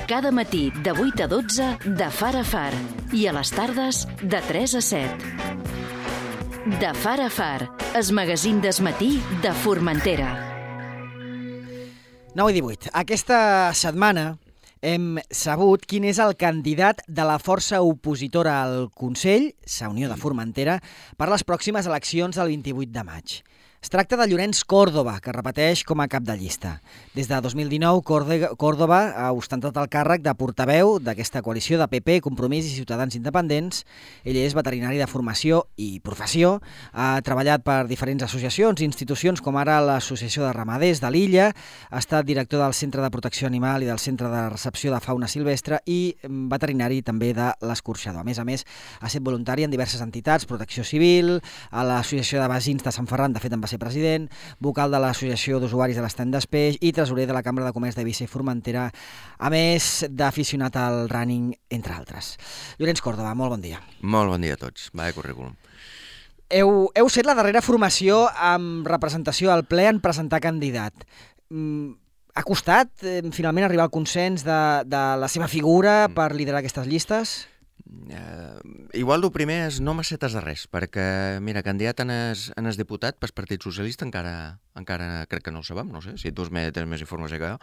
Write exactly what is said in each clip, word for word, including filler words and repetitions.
Cada matí de vuit a dotze de Far a Far i a les tardes de tres a set. De Far a Far, el magazín del matí de Formentera. nou i divuit. Aquesta setmana hem sabut quin és el candidat de la força opositora al Consell, la Unió de Formentera, per les pròximes eleccions del vint-i-vuit de maig. Es tracta de Llorenç Córdoba, que repeteix com a cap de llista. Des de dos mil dinou, Córdoba ha ostentat el càrrec de portaveu d'aquesta coalició de P P, Compromís i Ciutadans Independents. Ell és veterinari de formació i professió, ha treballat per diferents associacions i institucions, com ara l'Associació de Ramaders de l'Illa, ha estat director del Centre de Protecció Animal i del Centre de Recepció de Fauna Silvestre i veterinari també de l'Escorxador. A més a més, ha estat voluntari en diverses entitats, Protecció Civil, a l'Associació de Vagins de Sant Ferran, de fet en va ser president, vocal de l'Associació d'Usuaris de l'Estany d'Espeix i tresorer de la Cambra de Comerç d'Eivissa i Formentera, a més d'aficionat al running, entre altres. Llorenç Córdoba, molt bon dia. Molt bon dia a tots. Vaya currículum. Heu, heu set la darrera formació amb representació al ple en presentar candidat. Mm, ha costat eh, finalment arribar al consens de, de la seva figura per liderar aquestes llistes? Uh, igual el primer és no m'acetes de res, perquè, mira, candidat en es, en es diputat pel Partit Socialista encara, encara crec que no ho sabem, no sé, si tu tens més informació que jo,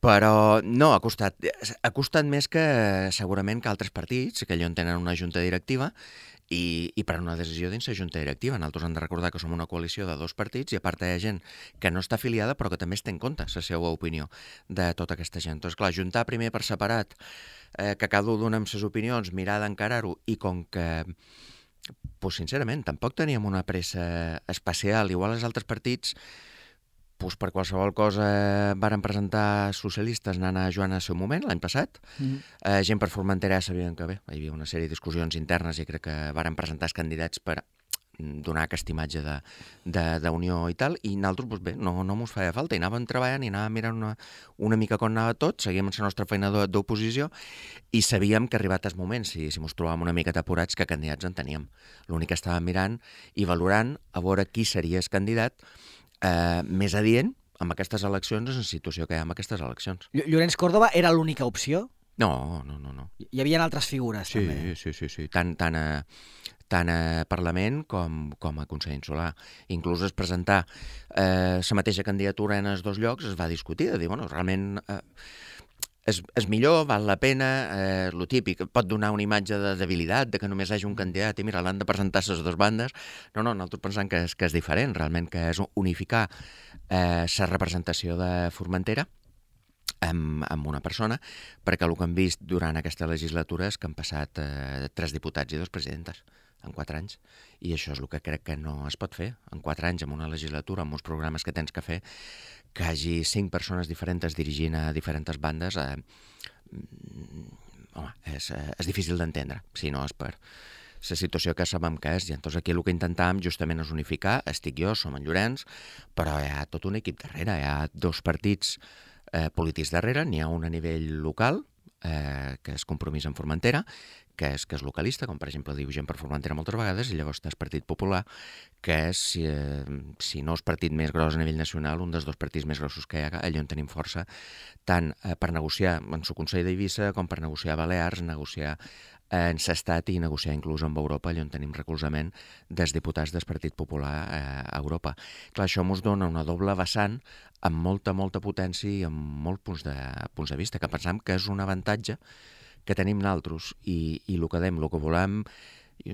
però no, ha costat, ha costat més que segurament que altres partits, que allò en tenen una junta directiva, i, i per una decisió dins la junta directiva. Nosaltres hem de recordar que som una coalició de dos partits i a part hi ha gent que no està afiliada però que també es té en compte la seva opinió de tota aquesta gent. Doncs clar, juntar primer per separat, eh, que cada un dona amb les opinions, mirar d'encarar-ho, i com que, pues, sincerament, tampoc teníem una pressa especial, igual els altres partits, pues, per qualsevol cosa varen presentar socialistes anant a Joan al seu moment, l'any passat. Mm. Eh, gent per Formentera ja sabien que bé, hi havia una sèrie de discussions internes i crec que varen presentar els candidats per donar aquesta imatge d'unió i tal, i nosaltres, pues bé, no, no mos feia falta, i anàvem treballant i anàvem mirant una, una mica com anava tot, seguíem la nostra feina d'oposició i sabíem que arribat el moment, si, si mos trobàvem una mica apurats, que candidats en teníem. L'únic que estàvem mirant i valorant a veure qui seria el candidat eh, més adient amb aquestes eleccions, en la situació que hi ha amb aquestes eleccions. Llorenç Córdoba era l'única opció? No, no, no, no. Hi havia altres figures, sí, també. Sí, sí, sí. Tant, tant, a, tant a Parlament com, com a Consell Insular. Inclús es presentar eh, la mateixa candidatura en els dos llocs es va discutir, de dir, bueno, realment eh, és, és millor, val la pena, eh, lo típic, pot donar una imatge de debilitat, de que només hi hagi un candidat i mira, l'han de presentar les dues bandes. No, no, nosaltres pensem que és, que és diferent, realment, que és unificar eh, la representació de Formentera Amb, amb una persona, perquè el que hem vist durant aquesta legislatura és que han passat eh, tres diputats i dos presidentes en quatre anys, i això és el que crec que no es pot fer en quatre anys, amb una legislatura, amb uns programes que tens que fer, que hi hagi cinc persones diferents dirigint a diferents bandes. Eh, home, és, és difícil d'entendre, si no és per la situació que sabem que és, i llavors aquí el que intentàvem justament és unificar. Estic jo, som en Llorenç, però hi ha tot un equip darrere, hi ha dos partits Eh, polítics darrere, n'hi ha un a nivell local, eh, que és Compromís en Formentera, que és, que és localista, com per exemple diu gent per Formentera moltes vegades, i llavors és Partit Popular, que és, eh, si no és partit més gros a nivell nacional, un dels dos partits més grossos que hi ha, allà on tenim força, tant eh, per negociar en el Consell d'Eivissa com per negociar a Balears, negociar en l'estat i negociar inclús amb Europa, allà on tenim recolzament dels diputats del Partit Popular eh, a Europa. Clar, això ens dona una doble vessant amb molta, molta potència i amb molts punts de, punts de vista, que pensam que és un avantatge que tenim nosaltres, i, i el que dèiem, el que volem, i,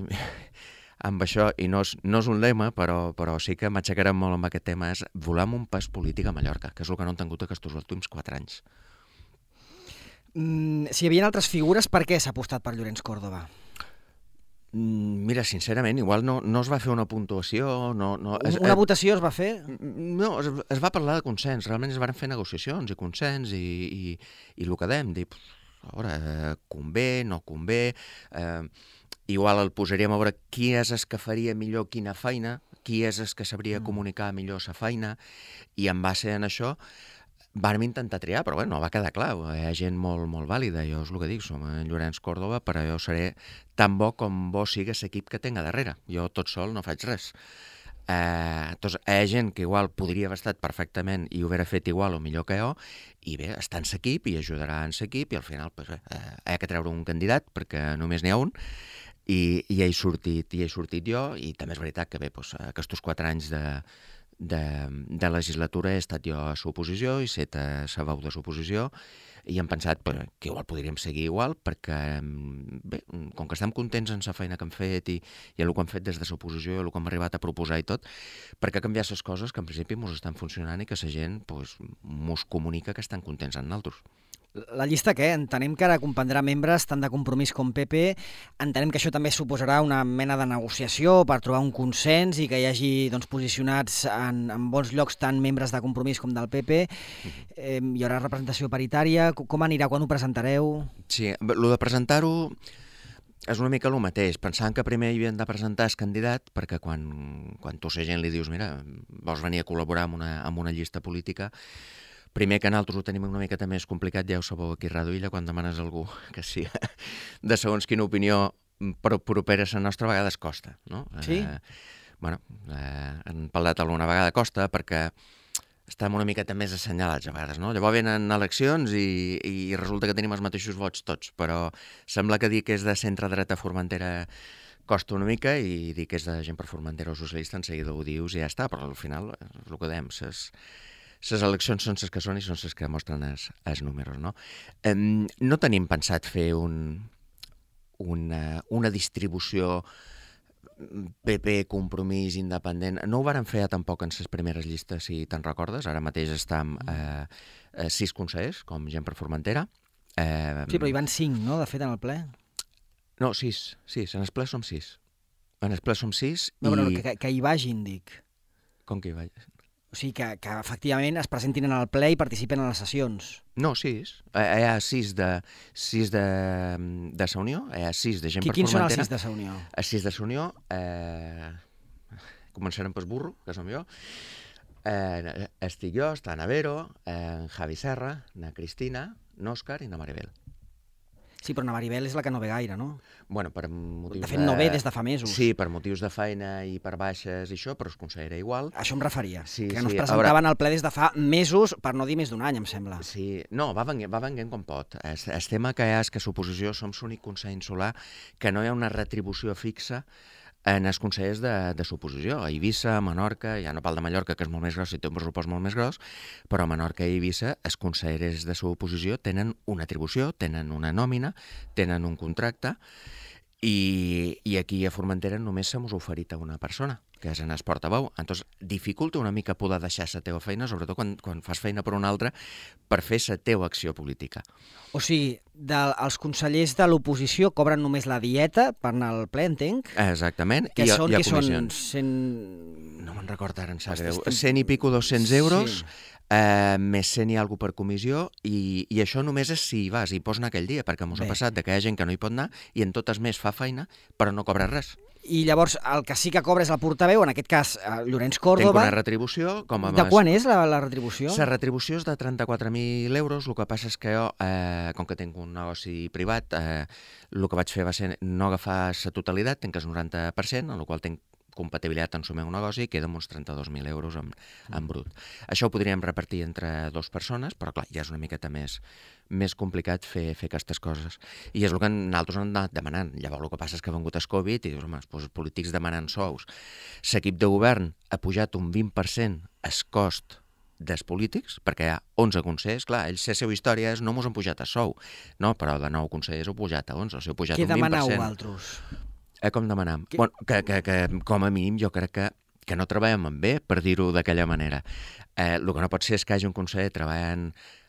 amb això, i no és, no és un lema, però, però sí que m'aixecarem molt amb aquest tema, és volem un pas polític a Mallorca, que és el que no han tingut aquests últims quatre anys. Mm, si hi havia altres figures, per què s'ha apostat per Llorenç Córdoba? Mira, sincerament, igual no, no es va fer una puntuació... No, no, es, una votació es va fer? No, es, es va parlar de consens. Realment es van fer negociacions i consens i, i, i el que dèiem, dir, a veure, convé, no convé... Eh, igual el posaríem a veure qui és el que faria millor quina feina, qui és el que sabria comunicar millor la feina, i en base en això vam intentar triar, però bé, no va quedar clar. Hi ha gent molt, molt vàlida, jo és el que dic, som en Llorenç Córdoba, però jo seré tan bo com bo sigui l'equip que tenga darrere. Jo tot sol no faig res. Eh, doncs hi ha gent que igual podria haver estat perfectament i ho haver fet igual o millor que jo, i bé, està en s'equip i ajudarà en s'equip i al final pues, eh, hi ha que treure un candidat perquè només n'hi ha un i, i ja he sortit, ja he sortit jo i també és veritat que bé, doncs, aquests quatre anys de, de, de legislatura he estat jo a l'oposició i set a la veu de l'oposició i hem pensat pues, que igual podríem seguir igual perquè, bé, com que estem contents en la feina que hem fet i, i el que hem fet des de l'oposició i el que hem arribat a proposar i tot, perquè canviar les coses que en principi ens estan funcionant i que la gent pues, mos comunica que estan contents amb nosaltres. La llista què? Entenem que ara comprendrà membres tant de Compromís com P P. Entenem que això també suposarà una mena de negociació per trobar un consens i que hi hagi doncs, posicionats en, en bons llocs tant membres de Compromís com del P P. Eh, hi haurà representació paritària. Com anirà? Quan ho presentareu? Sí, el de presentar-ho és una mica el mateix. Pensant que primer hi havien de presentar el candidat perquè quan, quan tu a la gent li dius mira, vols venir a col·laborar amb una, amb una llista política, primer que nosaltres ho tenim una miqueta més complicat, ja ho sabeu aquí a Ràdio Illa, quan demanes a algú que sí, de segons quina opinió però propera a la nostra, a vegades costa, no? Sí? Eh, bueno, eh, han parlat alguna vegada costa perquè estem una miqueta més assenyalats a vegades, no? Llavors venen eleccions i, i resulta que tenim els mateixos vots tots, però sembla que dir que és de centre-dreta Formentera costa una mica i dir que és de gent per Formentera o socialista en seguida ho dius i ja està, però al final és el que dèiem, ses... Les eleccions són les que són i són les que mostren els, els números, no? Eh, no tenim pensat fer un, una, una distribució P P, Compromís, independent. No ho vàrem fer tampoc en les primeres llistes, si te'n recordes. Ara mateix estem eh, eh, sis consellers, com gent per Formentera. Eh, sí, però hi van cinc, no?, de fet, en el ple. No, sis, sis. En el ple som sis. En el ple som sis no, i... Però que, que hi vagin, dic. Com que hi vagin? O sigui, que, que efectivament es presentin en el ple i participen en les sessions. No, sis. Hi ha sis de, sis de, de sa Unió, hi ha sis de gent Qui, per Formentera. Quins són els sis de sa Unió? Els sis de sa Unió, eh, començarem pel burro, que som jo. Eh, estic jo, està Navero, eh, en Javi Serra, na Cristina, n'Òscar i na Maribel. Sí, però na Maribel és la que no ve gaire, no? Bueno, per motius de fet, no ve des de fa mesos. Sí, per motius de feina i per baixes i això, però es considera igual. Això em referia, sí, que sí. no es presentaven al ple des de fa mesos, per no dir més d'un any, em sembla. Sí, no, va venint, va venint com pot. El, el tema que hi ha és que l'oposició som l'únic consell insular que no hi ha una retribució fixa en els consellers de, de l'oposició. A Eivissa, a Menorca, ja no parlo de Mallorca, que és molt més gros i té un pressupost molt més gros, però a Menorca i Eivissa els consellers de l'oposició tenen una atribució, tenen una nòmina, tenen un contracte, i, i aquí a Formentera només se mos ha oferit a una persona, que és en el portaveu. Entonces, dificulta una mica poder deixar la teva feina, sobretot quan, quan fas feina per una altra, per fer la teva acció política. O sigui, de, els consellers de l'oposició cobren només la dieta per anar al ple, entenc? Exactament. Que I, són, i que són cent... No me'n recordo ara, em sap greu. Estem... cent i pico dos-cents euros, sí. eh, més cent i alguna per comissió, i, i això només és si hi vas i pots anar aquell dia, perquè mos ha passat de que hi ha gent que no hi pot anar i en totes més fa feina, però no cobra res. I llavors el que sí que cobra és el portaveu, en aquest cas Llorenç Córdoba. Tinc una retribució. Com a de quan és la, la retribució? La retribució és de trenta-quatre mil euros, el que passa és que jo, eh, com que tinc un negoci privat, eh, el que vaig fer va ser no agafar la totalitat, tinc el noranta per cent, en el qual tinc compatibilitat en el meu negoci i queda uns trenta-dos mil euros en, en brut. Això ho podríem repartir entre dues persones, però clar, ja és una miqueta més, més complicat fer, fer aquestes coses. I és el que nosaltres hem anat demanant. Llavors el que passa és que ha vengut el Covid i dius, home, doncs els polítics demanen sous. L'equip de govern ha pujat un vint per cent el cost dels polítics, perquè hi ha onze consellers, clar, ells la seva història és no mos han pujat a sou, no, però de nou consellers heu pujat a onze, o sigui, heu pujat Què un vint per cent. Què demaneu altres? Eh, com demanam? Que... Bueno, que, que, que com a mínim jo crec que, que no treballem en bé, per dir-ho d'aquella manera. Eh, el que no pot ser és que hi hagi un conseller treballant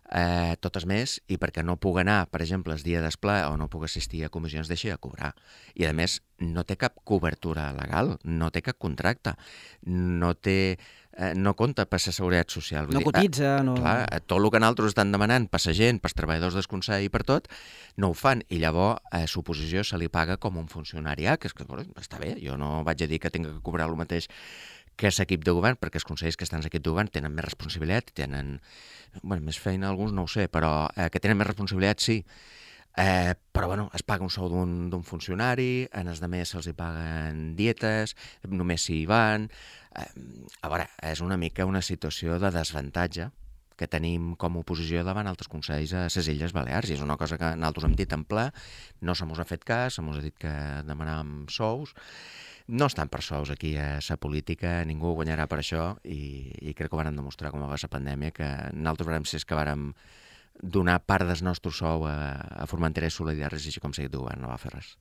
eh, totes més i perquè no pugui anar, per exemple, el dia d'esplà o no pugui assistir a comissions, deixi de cobrar. I a més, no té cap cobertura legal, no té cap contracte, no té... Eh, no compta per la seguretat social. Vull no dir, cotitza, eh, no... Clar, tot el que nosaltres estan demanant per la gent, pels treballadors del Consell i per tot, no ho fan. I llavors a l'oposició se li paga com un funcionari. Ah, que és que, bueno, està bé, jo no vaig a dir que tinc que cobrar el mateix que l'equip de govern, perquè els consellers que estan en l'equip de govern tenen més responsabilitat, tenen bueno, més feina, alguns no ho sé, però eh, que tenen més responsabilitat sí. Eh, però, bueno, es paga un sou d'un funcionari, en els altres se'ls hi paguen dietes, només s'hi van. Eh, a veure, és una mica una situació de desavantatge que tenim com a oposició davant altres consells a les Illes Balears, i és una cosa que nosaltres hem dit en ple, no se mos ha fet cas, se mos ha dit que demanàvem sous. No estan per sous aquí a la política, ningú guanyarà per això, i, i crec que ho van demostrar com va la pandèmia, que nosaltres vam ser que vàrem donar part del nostre sou a, a Formentera i Solidaris, i així com seguit el govern no va fer res.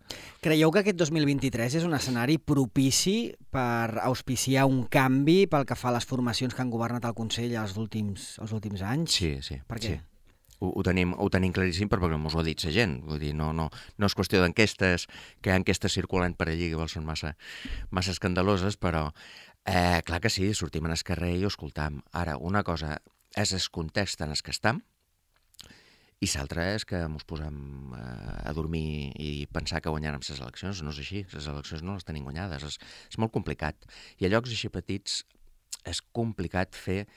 Creieu que aquest dos mil vint-i-tres és un escenari propici per auspiciar un canvi pel que fa a les formacions que han governat el Consell els últims, els últims anys? Sí, sí. Per què? Sí. Ho, ho, tenim, ho tenim claríssim perquè mos ho ha dit la gent. Vull dir, no, no, no és qüestió d'enquestes, que hi ha enquestes circulant per allí que són massa, massa escandaloses, però eh, clar que sí, sortim en el carrer i ho escoltam. Ara, una cosa és el context en el que estem, i l'altra és que ens posem a dormir i pensar que guanyarem les eleccions. No és així, les eleccions no les tenim guanyades, és, és molt complicat. I a llocs així petits és complicat fer,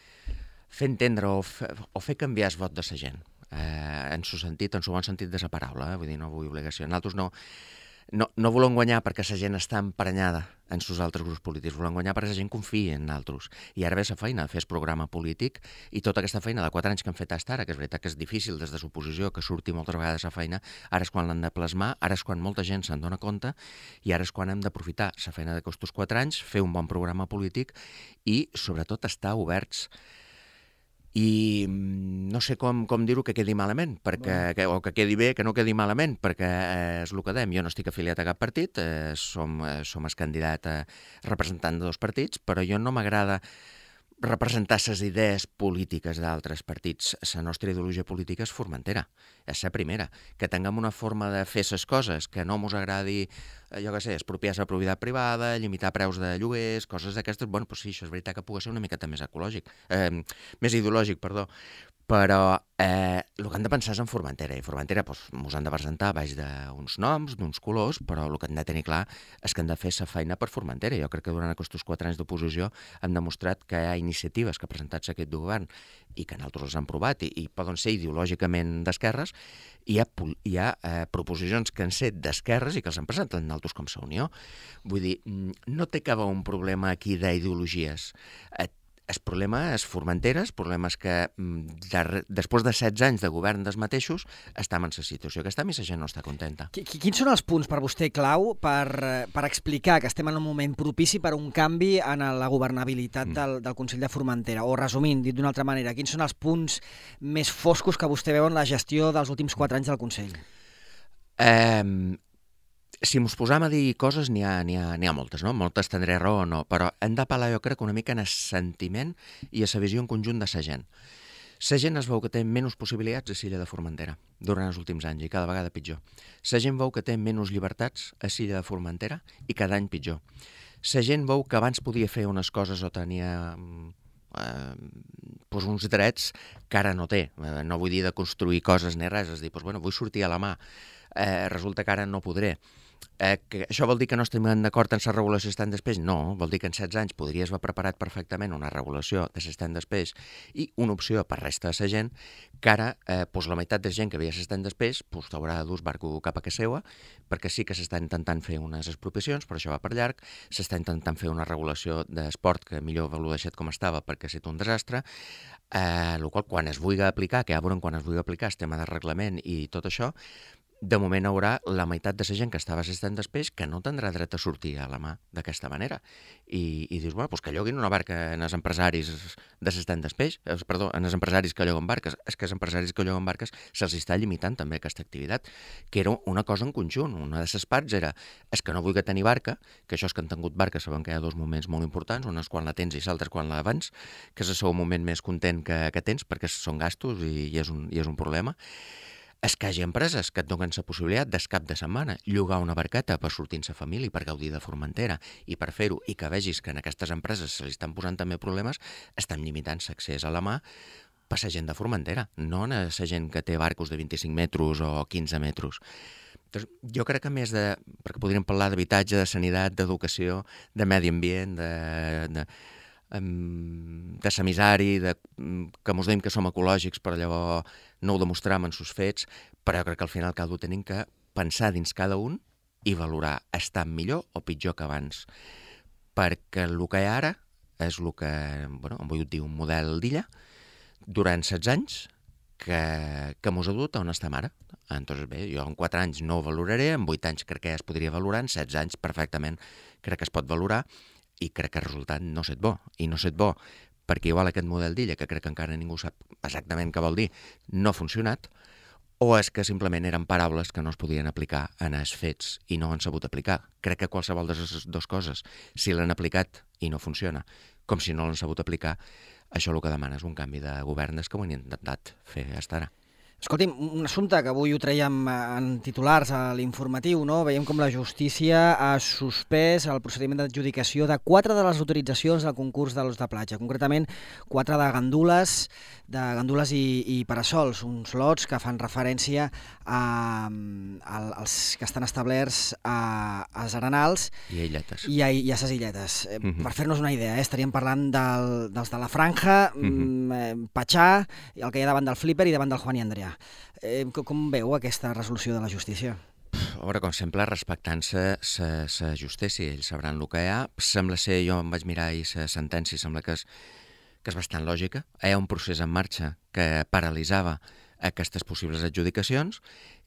fer entendre o fer, o fer canviar el vot de la gent, eh, en su sentit, en su bon sentit de la paraula, eh? Vull dir, no vull obligació. Nosaltres no, no, no volem guanyar perquè la gent està emprenyada en sus altres grups polítics, volem guanyar perquè la gent confia en nosaltres. I ara ve la feina de fer el programa polític, i tota aquesta feina de quatre anys que hem fet fins ara, que és veritat que és difícil des de l'oposició, que surti moltes vegades la feina, ara és quan l'han de plasmar, ara és quan molta gent se'n dona compte, i ara és quan hem d'aprofitar la feina d'aquests quatre anys, fer un bon programa polític i, sobretot, estar oberts. I no sé com, com dir-ho que quedi malament, perquè, que, o que quedi bé, que no quedi malament, perquè eh, és el que dèiem. Jo no estic afiliat a cap partit, eh, som, eh, som el candidat a representant de dos partits, però jo no m'agrada representar les idees polítiques d'altres partits. La nostra ideologia política és Formentera, és la primera. Que tinguem una forma de fer les coses que no mos agradi, jo què sé, expropiar la propietat privada, limitar preus de lloguers, coses d'aquestes, bueno, doncs sí, això és veritat que pugui ser una miqueta més ecològic, eh, més ideològic, perdó. Però eh, el que han de pensar és en Formentera, i Formentera doncs, mos han de presentar baix d'uns noms, d'uns colors, però el que han de tenir clar és que han de fer la feina per Formentera. Jo crec que durant aquests quatre anys d'oposició hem demostrat que hi ha iniciatives que ha presentat aquest govern i que nosaltres les hem provat i, i poden ser ideològicament d'esquerres, i hi ha, hi ha eh, proposicions que han set d'esquerres i que els han presentat nosaltres com la Unió. Vull dir, no té que haver un problema aquí d'ideologies. Eh, El problema és Formentera, el problema és que de, després de setze anys de govern dels mateixos estem en la situació que estem i la gent no està contenta. Quins són els punts per vostè clau per, per explicar que estem en un moment propici per un canvi en la governabilitat mm. del, del Consell de Formentera? O resumint, dit d'una altra manera, quins són els punts més foscos que vostè veu en la gestió dels últims quatre anys del Consell? Eh... Si ens posam a dir coses, n'hi ha, n'hi ha, n'hi ha moltes, no? Moltes tindré raó o no, però hem d'apel·lar, jo crec, una mica en el sentiment i a la visió en conjunt de la gent. La gent es veu que té menys possibilitats a l'illa de Formentera durant els últims anys i cada vegada pitjor. La gent veu que té menys llibertats a l'illa de Formentera i cada any pitjor. La gent veu que abans podia fer unes coses o tenia eh, doncs uns drets que ara no té. Eh, no vull dir de construir coses ni res, és dir, doncs, bueno, vull sortir a la mà. Eh, resulta que ara no podré. Eh, que això vol dir que no estem d'acord en la regulació stand després? No, vol dir que en setze anys podries haver preparat perfectament una regulació de stand després i una opció per resta de la gent, que ara eh, doncs la meitat de gent que veia stand després doncs t'haurà de dur barco cap a casa seva, perquè sí que s'està intentant fer unes expropiacions, però això va per llarg, s'està intentant fer una regulació d'esport que millor ho deixat com estava perquè ha estat un desastre, eh, el qual quan es vulgui aplicar, que ja veurem quan es vulgui aplicar el tema de reglament i tot això, de moment hi haurà la meitat de la gent que estava assistent després que no tindrà dret a sortir a la mà d'aquesta manera. I, i dius, bueno, doncs que lloguin una barca en els empresaris d'assistent després, eh, perdó, en els empresaris que lloguen barques. És que els empresaris que lloguen barques se'ls està limitant també aquesta activitat, que era una cosa en conjunt. Una de les parts era, és que no vull tenir barca, que això és que han tingut barca, saben que hi ha dos moments molt importants, un és quan la tens i l'altre quan la vens, que és el seu moment més content que, que tens, perquè són gastos i, i, és un, i és un problema. És que hi ha empreses que et donen la possibilitat des cap de setmana llogar una barqueta per sortir amb la família i per gaudir de Formentera i per fer-ho, i que vegis que en aquestes empreses se li estan posant també problemes, estan limitant l'accés a la mà per la gent de Formentera, no a la gent que té barcos de vint-i-cinc metres o quinze metres. Doncs jo crec que més de... perquè podríem parlar d'habitatge, de sanitat, d'educació, de medi ambient, de... de de semissari, de, que mos deim que som ecològics, però llavors no ho demostram en sus fets, però jo crec que al final cada un tenim que pensar dins cada un i valorar estar millor o pitjor que abans. Perquè el que hi ha ara és el que, bueno, hem volgut dir un model d'illa durant setze anys que, que mos ha dut a on estem ara. Entonces, bé, jo en quatre anys no ho valoraré, en vuit anys crec que ja es podria valorar, en setze anys perfectament crec que es pot valorar, i crec que el resultat no set bo. I no set bo perquè igual aquest model d'illa, que crec que encara ningú sap exactament què vol dir, no ha funcionat, o és que simplement eren paraules que no es podien aplicar en els fets i no han sabut aplicar. Crec que qualsevol de les dues coses, si l'han aplicat i no funciona, com si no l'han sabut aplicar, això el que demana és un canvi de govern, és que ho han intentat fer fins ara. Escolti'm, un assumpte que avui ho traiem en titulars a l'informatiu, no? Veiem com la justícia ha suspès el procediment d'adjudicació de quatre de les autoritzacions del concurs de l'os de platja, concretament quatre de gandules, de gandules i, i parasols, uns lots que fan referència a, a, als que estan establerts a, als arenals i a illetes. I a, i a ses illetes. Mm-hmm. Per fer-nos una idea, eh? Estaríem parlant del, dels de la Franja, mm-hmm. Patxà, el que hi ha davant del Flipper i davant del Juan i Andrea. Eh, com veu aquesta resolució de la justícia? A veure, com sempre, respectant-se la justícia, ells sabran el que hi ha. Sembla ser, jo em vaig mirar i la sentència sembla que és, que és bastant lògica. Hi ha un procés en marxa que paralitzava aquestes possibles adjudicacions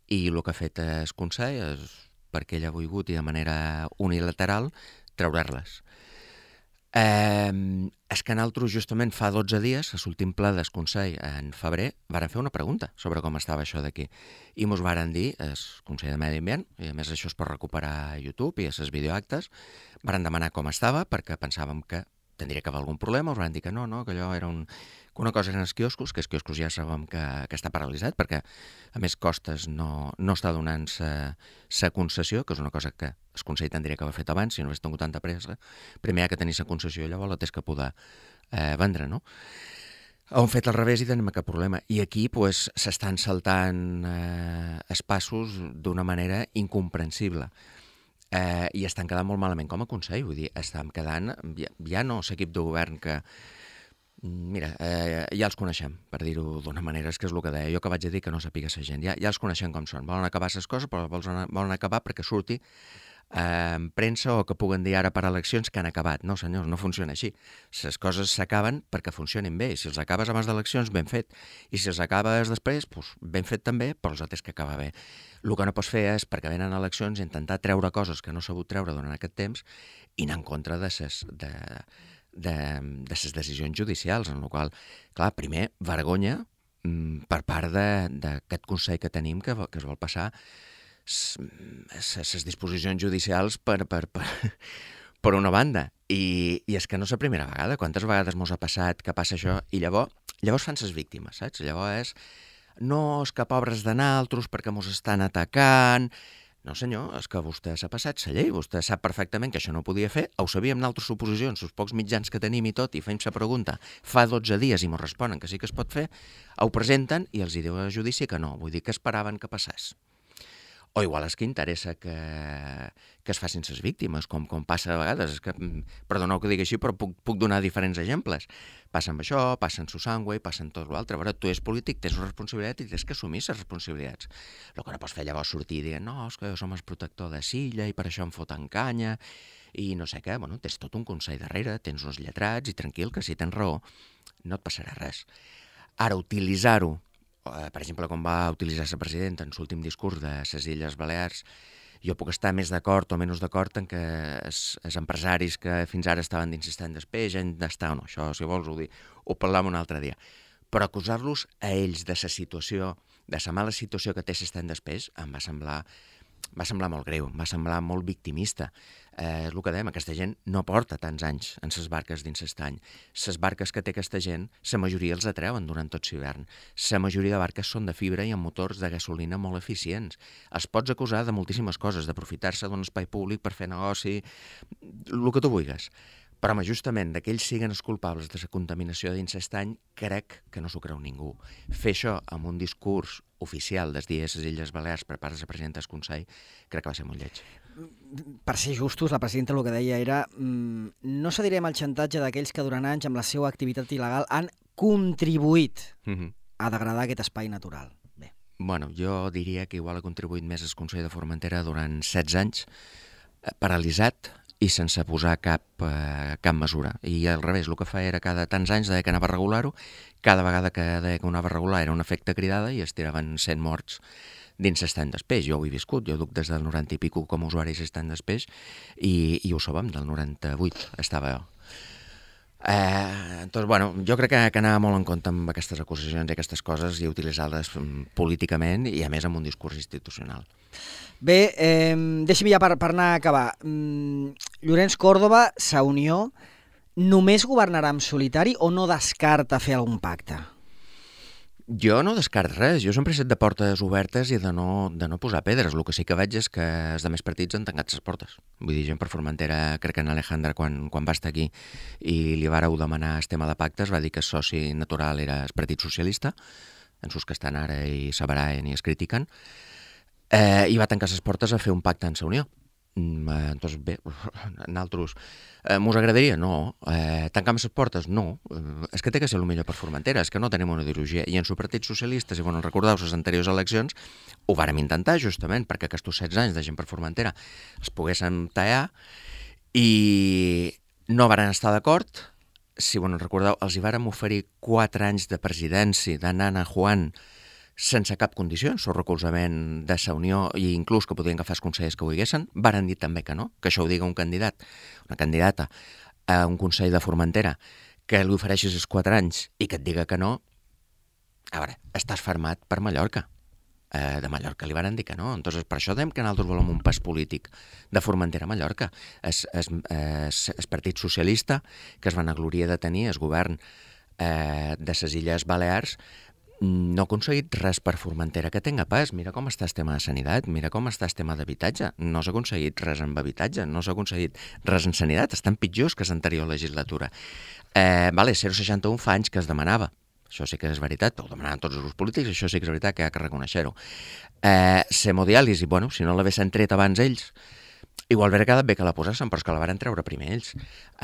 i el que ha fet el Consell és, perquè ell ha volgut i de manera unilateral, treure-les. Eh, és que nosaltres justament fa dotze dies, a l'últim ple del Consell en febrer, varen fer una pregunta sobre com estava això d'aquí i mos varen dir, el Consell de Medi Ambient, i a més això es pot recuperar a YouTube i a les videoactes, varen demanar com estava perquè pensàvem que tindria que haver algun problema, us van dir que no, no, que allò era un, que una cosa eren els quioscos, que els quioscos ja sabem que, que està paralitzat perquè a més Costes no, no està donant sa concessió, que és una cosa que el Consell tindria que haver fet abans si no hagués tingut tanta pressa. Primer hi ha que tenir sa concessió i llavors la tens que poder eh, vendre, no? Han fet al revés i tenim cap problema. I aquí pues, s'estan saltant eh, els passos d'una manera incomprensible. Eh, i estan quedant molt malament com a Consell, vull dir, estan quedant, ja, ja no l'equip de govern que, mira, eh, ja els coneixem, per dir-ho d'una manera, és que és el que deia, jo que vaig a dir que no sàpiga la gent, ja, ja els coneixem com són, volen acabar les coses, però volen, volen acabar perquè surti eh, en premsa o que puguen dir ara per eleccions que han acabat. No, senyors, no funciona així. Les coses s'acaben perquè funcionin bé, i si els acabes abans d'eleccions, ben fet, i si els acabes després, doncs, ben fet també, però els altres que acaba bé. El que no pots fer és, perquè venen eleccions, intentar treure coses que no s'ha sabut treure durant aquest temps i anar en contra de ses, de, de, de ses decisions judicials, en la qual, clar, primer, vergonya mm, per part d'aquest Consell que tenim que, que es vol passar les disposicions judicials per, per, per, per una banda. I, I és que no és la primera vegada. Quantes vegades mos ha passat que passa això? I llavors, llavors fan ses víctimes, saps? Llavors és, no, és que pobres de naltros perquè mos estan atacant. No, senyor, és que vostè s'ha passat la llei, vostè sap perfectament que això no ho podia fer, ho sabíem nosaltres suposicions, els pocs mitjans que tenim i tot, i fem la pregunta fa dotze dies i mos responen que sí que es pot fer, ho presenten i els hi diu a judici que no, vull dir que esperaven que passés. O igual és que interessa que, que es facin ses víctimes, com, com passa a vegades. És que, perdoneu que digui així, però puc, puc donar diferents exemples. Passa amb això, passa en Susangüe, passa en tot l'altre. A veure, tu ets polític, tens una responsabilitat i tens que assumir les responsabilitats. El que no pots fer llavors sortir i dir no, és que jo som el protector de Silla i per això em foten canya i no sé què. Bueno, tens tot un consell darrere, tens uns lletrats i tranquil, que si tens raó no et passarà res. Ara, utilitzar-ho, per exemple, com va utilitzar la presidenta en l'últim discurs de les Illes Balears, jo puc estar més d'acord o menys d'acord en que els, els empresaris que fins ara estaven insistent després han d'estar o no. Això, si vols, ho, dir, ho parlam un altre dia. Però acusar-los a ells de la situació, de la mala situació que té l'estat després, em va semblar, va semblar molt greu, em va semblar molt victimista. Eh, és el que dèiem, aquesta gent no porta tants anys en ses barques dins l'estany. Les barques que té aquesta gent, la majoria els atreuen durant tot l'hivern. La majoria de barques són de fibra i amb motors de gasolina molt eficients. Els pots acusar de moltíssimes coses, d'aprofitar-se d'un espai públic per fer negoci, el que tu vulguis. Però, home, justament, d'aquells siguen els culpables de la contaminació dins l'estany, crec que no s'ho creu ningú. Fer això amb un discurs oficial dels dies a les Illes Balears per part de la presidenta del Consell, crec que va ser molt lleig. Per ser justos, la presidenta el que deia era mmm, no cedirem al xantatge d'aquells que durant anys amb la seva activitat il·legal han contribuït mm-hmm. a degradar aquest espai natural. Bé. Bueno, jo diria que igual ha contribuït més el Consell de Formentera durant setze anys, paralitzat i sense posar cap, eh, cap mesura. I al revés, el que fa era cada tants anys deia que anava a regular-ho, cada vegada que deia que ho anava a regular era un efecte cridada i es tiraven cent morts dins l'estany d'espeix. Jo ho he viscut, jo duc des del noranta i pico com a usuari l'estany d'espeix i, i ho sabem, del noranta-vuit estava jo. Eh, doncs, bueno, jo crec que, que anava molt en compte amb aquestes acusacions i aquestes coses i utilitzar-les políticament i a més amb un discurs institucional. Bé, eh, deixi'm ja per, per anar a acabar. Mm, Llorenç Córdoba, Sa Unió, només governarà en solitari o no descarta fer algun pacte? Jo no descarto res, jo sempre he estat de portes obertes i de no, de no posar pedres. El que sí que veig és que els altres partits han tancat les portes. Vull dir, gent per Formentera, crec que en Alejandra, quan, quan va estar aquí i li vareu demanar el tema de pactes, va dir que el soci natural era el Partit Socialista, en sus que estan ara i s'abaraen i es critiquen, eh, i va tancar les portes a fer un pacte en Sa Unió. Eh, doncs bé, nosaltres eh, mos agradaria? No. Eh, tancar les portes? No. Eh, és que té que ser el millor per Formentera, és que no tenim una ideologia. I en el Partit Socialista, si bueno, recordeu les anteriors eleccions, ho vàrem intentar justament perquè aquests setze anys de gent per Formentera els poguéssim tallar i no varen estar d'acord. Si bueno, recordeu, els hi vàrem oferir quatre anys de presidència de Nana Juan sense cap condició, el recolzament de Sa Unió i inclús que podien agafar els consellers que ho diguessin, varen dir també que no, que això ho diga un candidat, una candidata a un consell de Formentera que li ofereixis els quatre anys i que et diga que no, a veure, estàs fermat per Mallorca. Eh, de Mallorca li varen dir que no. Entonces, per això dèiem que nosaltres volem un pas polític de Formentera a Mallorca. Es, es, es, es Partit Socialista, que es van agloria de tenir, el govern eh, de les Illes Balears, no ha aconseguit res per Formentera que tenga pas. Mira com està el tema de sanitat, mira com està el tema d'habitatge. No s'ha aconseguit res amb habitatge, no s'ha aconseguit res en sanitat. Estan pitjors que l'anterior legislatura. Eh, vale, zero coma seixanta-u fa anys que es demanava. Això sí que és veritat, però ho demanaven tots els grups polítics, això sí que és veritat que hi ha que reconèixer-ho. Eh, L'hemodiàlisi, bueno, si no l'haguessin tret abans ells, igual hauria quedat bé que la posessin, però és que la varen treure primer ells.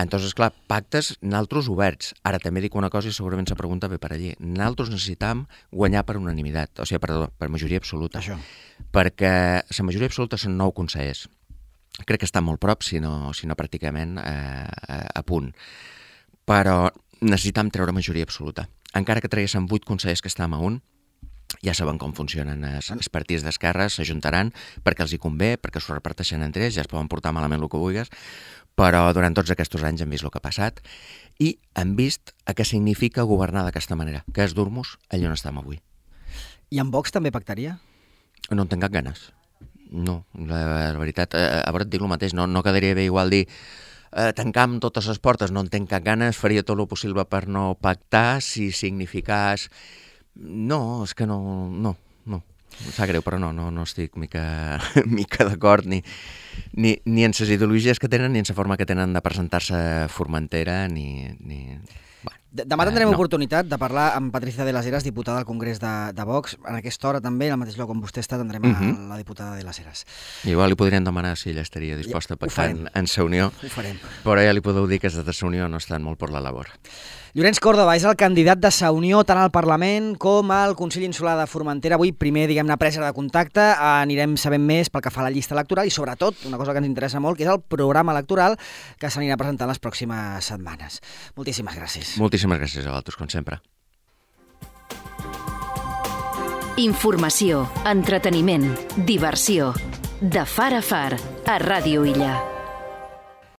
Entonces, clar, pactes, naltros oberts. Ara també dic una cosa i segurament la pregunta ve per allí. Naltros necessitam guanyar per unanimitat, o sigui, perdó, per majoria absoluta. Això. Perquè la majoria absoluta són nou consellers. Crec que estan molt prop, si no, si no pràcticament eh, a punt. Però necessitam treure majoria absoluta. Encara que traguéssim vuit consellers que estem a un, ja saben com funcionen els, els partits d'esquerra, s'ajuntaran perquè els hi convé, perquè s'ho reparteixen entre ells, ja es poden portar malament el que vulguis, però durant tots aquests anys hem vist el que ha passat i hem vist a què significa governar d'aquesta manera, que és dur-nos allà on estem avui. I amb Vox també pactaria? No en tinc cap ganes. No, la, la veritat, a, a veure, et dic el mateix, no, no quedaria bé igual dir eh, tancam totes les portes, no en tinc cap ganes, faria tot el possible per no pactar, si significàs... No, és que no, no, no. Em sap greu, però no, no, no estic mica, mica d'acord ni, ni, ni en les ideologies que tenen, ni en la forma que tenen de presentar-se a Formentera, ni... ni... Bueno, Demà tindrem eh, no. oportunitat de parlar amb Patricia de las Heras, diputada al Congrés de, de Vox. En aquesta hora també, al mateix lloc on vostè està, tindrem uh-huh. a la diputada de las Heras. Igual li podrien demanar si ella estaria disposta a pactar en, en Sa Unió, Ho farem. però ja li podeu dir que els de Sa Unió no estan molt per la labor. Llorenç Córdoba és el candidat de Sa Unió tant al Parlament com al Consell Insular de Formentera. Avui, primer, diguem-ne, presa de contacte, anirem sabent més pel que fa a la llista electoral i, sobretot, una cosa que ens interessa molt, que és el programa electoral que s'anirà presentant les pròximes setmanes. Moltíssimes gràcies. Moltíssimes gràcies a vosaltres, com sempre. Informació, entreteniment, diversió. De far a far, a Ràdio Illa.